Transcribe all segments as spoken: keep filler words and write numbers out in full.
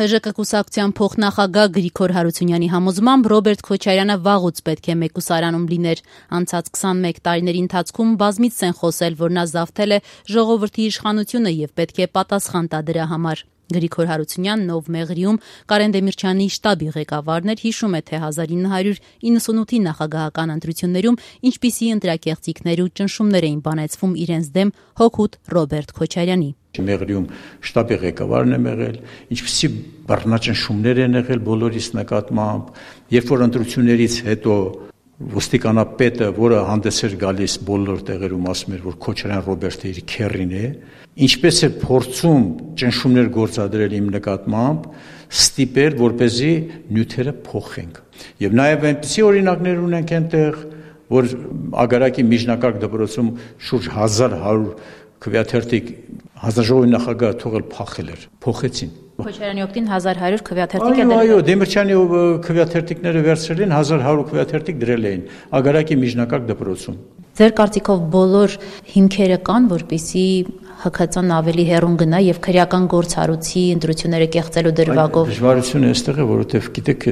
Հ Ժ Կ կուսակցության փոխնախագահ Գրիգոր Հարությունյանի համոզմամբ Ռոբերտ Քոչարյանը վաղուց պետք է մեկուսարանում լիներ։ Անցած քսանմեկ տարիների ընթացքում բազմիցս են խոսել, որ նա զավթել է ժողովրդի իշխանությունը եւ պետք է պատասխան տա դրա համար։ Գրիգոր Հարությունյանն, ով Մեղրիում Կարեն Դեմիրճյանի շտաբի ղեկավարն էր, հիշում է, թե հազար ինը հարյուր իննսունութի նախագահական ընտրություններում ինչպիսի ընտրակեղծիքներ ու ճնշումներ էին բանեցվում իրենց դեմ հօգուտ Ռոբերտ Քոչարյանի։ Մեղրիում շտաբի ղեկավարն է եղել, ինչպիսի բռնաճնշումներ են եղել բոլորիս նկատմամբ, երբ որ ընտրություններից հետո ոստիկանապետը, որը հանդես էր գալիս բոլոր տեղերում, ասում էր, որ Քոչարյան Ռոբերտը իր քեռին է, ինչպես է փորձում ճնշումներ գործադրել իմ նկատմամբ, ստիպել, որպեսզի նյութերը փոխենք։ Եվ նաև այնպիսի օրինակներ ունենք այնտեղ, որ Ագարակի միջնակարգ դպրոցում շուրջ հազար հարյուր քվեաթերթիկ հանձնաժողովի նախագահը թողել փախել էր, փոխեցին։ Քոչարյանի օգտին հազար հարյուր քվեաթերթիկ է դրել։ դրել։ Այո, Դեմիրճյանի քվեաթերթիկները վերցրել են, հազար հարյուր քվեաթերթիկ դրել էին Ագարակի միջնակարգ դպրոցում։ Ձեր կարծիքով բոլոր հիմքերը կան, որպեսզի Հ Քծ Ն ավելի հեռուն գնա եւ քրեական գործառույցի ընտրությունները կեղծելու դրվագով։ Դժվարությունը այստեղ է, որովհետեւ գիտեք,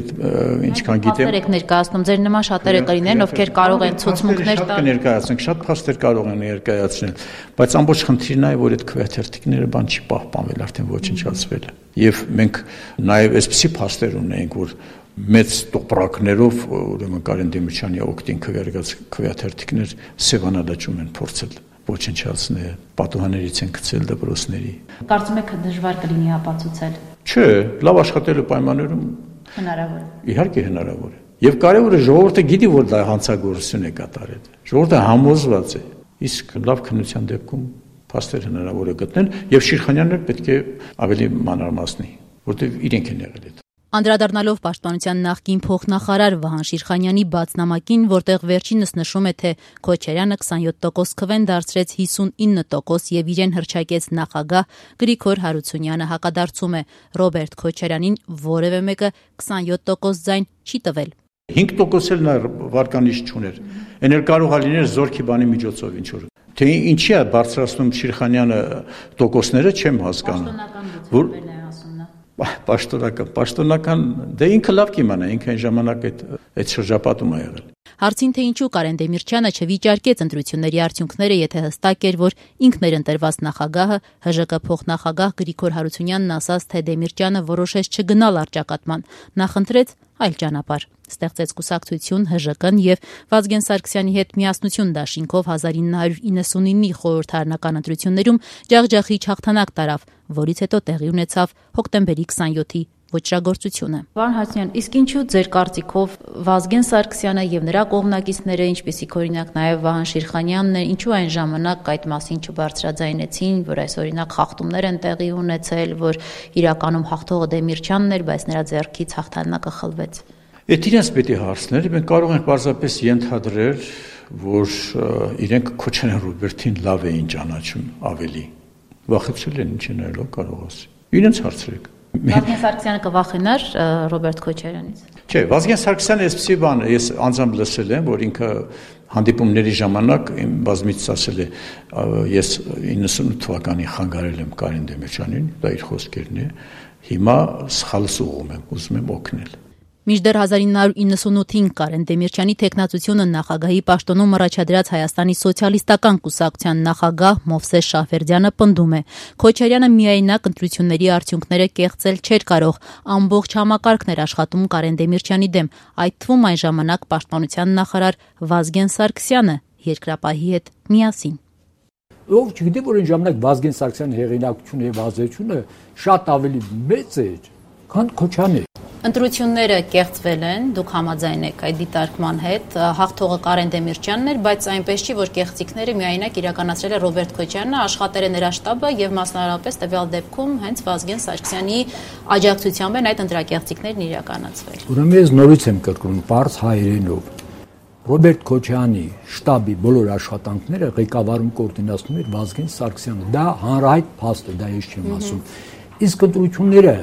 ինչքան գիտեմ, փաստեր եք ներկայացնում, ձեր նման շատերը կլինեն, ովքեր կարող են ցուցմունքներ տալ։ Ներկայացնենք, շատ փաստեր կարող են ներկայացնել, բայց ամբողջ խնդիրն է, որ այդ քվեաթերթիկները բան չի պահպանվել, արդեն ոչնչացվել է։ Եվ մենք նաեւ այսպիսի փաստեր ունենք, որ մեծ տոպրակներով, ուրեմն Կարեն Դեմիրճյանի օգտին քվեարկած քվեաթերթիկներ Սևանադաճում են փորձել ոչնչացնել, պատուհաններից են գցել դպրոցների։ Կարծում եք դժվար կլինի ապացուցել։ Չէ, լավ աշխատելու պայմաններում հնարավոր է։ Իհարկե հնարավոր է։ Եվ կարևորը ժողովուրդը գիտի, որ դա հանցագործություն է կատարել։ Ժողովուրդը համոզված է։ Իսկ լավ քննության դեպքում փաստեր հնարավոր է գտնել, եւ Շիրխանյանն պետք է ավելի մանրամասնի, որտեղ իրենք են եղել այդ։ Անդրադառնալով Պաշտպանության նախկին փոխնախարար Վահան Շիրխանյանի բաց նամակին, որտեղ վերջինս նշում է, թե Քոչարյանը քսանյոթ տոկոս քվեն դարձրեց հիսունինը տոկոս եւ իրեն հռչակեց նախագահ, Գրիգոր Հարությունյանը հակադարձում է Ռոբերտ Քոչարյանին որևէ մեկը քսանյոթ տոկոս ձայն չի տվել։ հինգ տոկոս էլ նա վարկանիշ չուներ։ Էն էլ կարող է լինել զորքի բանի միջոցով ինչ որ։ Թե ինչի է բարձրացնում Շիրխանյանը տոկոսները, չեմ հասկանում։ Որ Պաշտոնական, պաշտոնական, դե ինքը լավ կիմանա, ինքը այն ժամանակ այդ այդ շրջապատում է եղել։ Հարցին, թե ինչու Կարեն Դեմիրճյանը չվիճարկեց ընտրությունների արդյունքները, եթե հստակ էր, որ ինքն էր ընտրված նախագահը, Հ Ժ Կ փոխնախագահ Գրիգոր Հարությունյանն ասաց, թե Դեմիրճյանը որոշեց չգնալ առճակատման, նա խնդրեց այլ ճանապարհ։ Ստեղծեց կուսակցություն Հ Ժ Կ-ն եւ Վազգեն Սարգսյանի հետ միասնություն դաշինքով հազար ինը հարյուր իննսունինի խորհրդարանական ընտրություններում ջախջախիչ հաղթանակ տարավ, որից հետո տեղի ունեցավ հոկտեմբերի քսանյոթի ոճրագործությունը։ Պարոն Հարությունյան, իսկ ինչու ձեր կարծիքով Վազգեն Սարգսյանը եւ նրա կողմնակիցները, ինչպիսիք օրինակ նաեւ Վահան Շիրխանյանն են, ինչու այն ժամանակ այդ մասին չբարձրաձայնեցին, որ այս օրինակ խախտումներ են տեղի ունեցել, որ իրականում հաղթողը Դեմիրճյանն էր, բայց նրա ձեռքից հաղթանակը խլվեց։ Այդ իրենց պետք է հարցնել, մենք կարող ենք պարզապես ենթադրել, որ իրենք Քոչարյան Ռոբերտին լավ էին ճանաչում ավելի։ Վախեցել են, ինչ են այլո կարող ասի։ Իրենց հարցրեք։ Վազգեն Սարգսյանը կվախենար Ռոբերտ Քոչարյանից։ Չէ, Վազգեն Սարգսյանը այսպեսի բան, ես անձամբ լսել եմ, որ ինքը հանդիպումների ժամանակ իմ բազմիցս ասել է, ես իննսունութ թվականի խանգարել եմ Կարեն Դեմիրճյանին, դա իր խոսքերն է, հիմա սխալս ուղում եմ, ուզում եմ օգնել։ Մինչդեռ հազար ինը հարյուր իննսունութին Կարեն Դեմիրճյանի թեկնածությունը նախագահի պաշտոնում առաջադրած Հայաստանի սոցիալիստական կուսակցության նախագահ Մովսես Շահվերդյանը պնդում է. Քոչարյանը միայնակ ընտրությունների արդյունքները կեղծել չէր կարող, ամբողջ համակարգն էր աշխատում Կարեն Դեմիրճյանի դեմ, այդ թվում այն ժամանակ պաշտպանության նախարար Վազգեն Սարգսյանը երկրապահի հետ միասին։ Ով չգիտի, որ այն ժամանակ Վազգեն Սարգսյանի հեղինակությունը եւ ազդեցությունը շատ ավելի մեծ էր, քան Քոչյանի։ Ընտրությունները կեղծվել են, դուք համաձայն եք այդ դիտարկման հետ, հաղթողը Կարեն Դեմիրճյանն էր, բայց այնպես չի, որ կեղծիքները միայնակ իրականացրել է Ռոբերտ Քոչարյանը, աշխատել է նրա շտաբը եւ մասնավորապես տվյալ դեպքում հենց Վազգեն Սարգսյանի աջակցությամբ են այդ ընտրակեղծիքներն իրականացվել։ Ուրեմն ես նորից եմ կրկնում, բարձ հայերենով Ռոբերտ Քոչարյանի շտաբի բոլոր աշխատանքները ղեկավարում կոորդինացնում էր Վազգեն Սարգսյանը։ Դա հանրահայտ փաստ է, դա ես չեմ ասում։ Իսկ ընտրությունները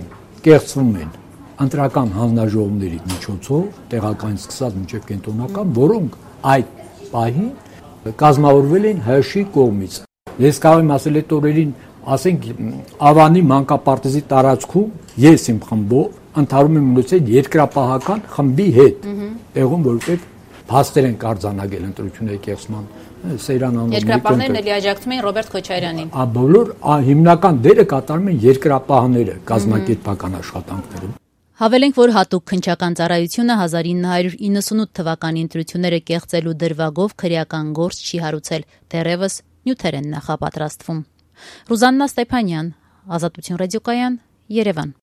կեղծվում են ընտրական հանձնաժողովների միջոցով, տեղական սկսած մինչև կենտրոնական, որոնք այդ պահին կազմավորվել են Հ Շ-ի կողմից։ Ես կարող եմ ասել այդ օրերին ասենք Ավանի մանկապարտեզի տարածքում ես իմ խմբով ընդհարում եմ ունեցել երկրապահական խմբի հետ, տեղում որովհետև փաստեր են արձանագրել ընտրությունների կեղծման սերանանով։ Երկրապահներն էլի աջակցում էին Ռոբերտ Քոչարյանին։ Ա բոլոր հիմնական դերը կատարում են երկրապահները կազմակերպական աշխատանքներում։ Հավելենք, որ հատուկ քննչական ծառայությունը հազար ինը հարյուր իննսունութ թվականի ընտրությունները կեղծելու դրվագով քրեական գործ չի հարուցել, դեռևս նյութեր են նախապատրաստվում։ Ռուզաննա Ստեփանյան, Ազատություն ռադիոկայան, Երևան։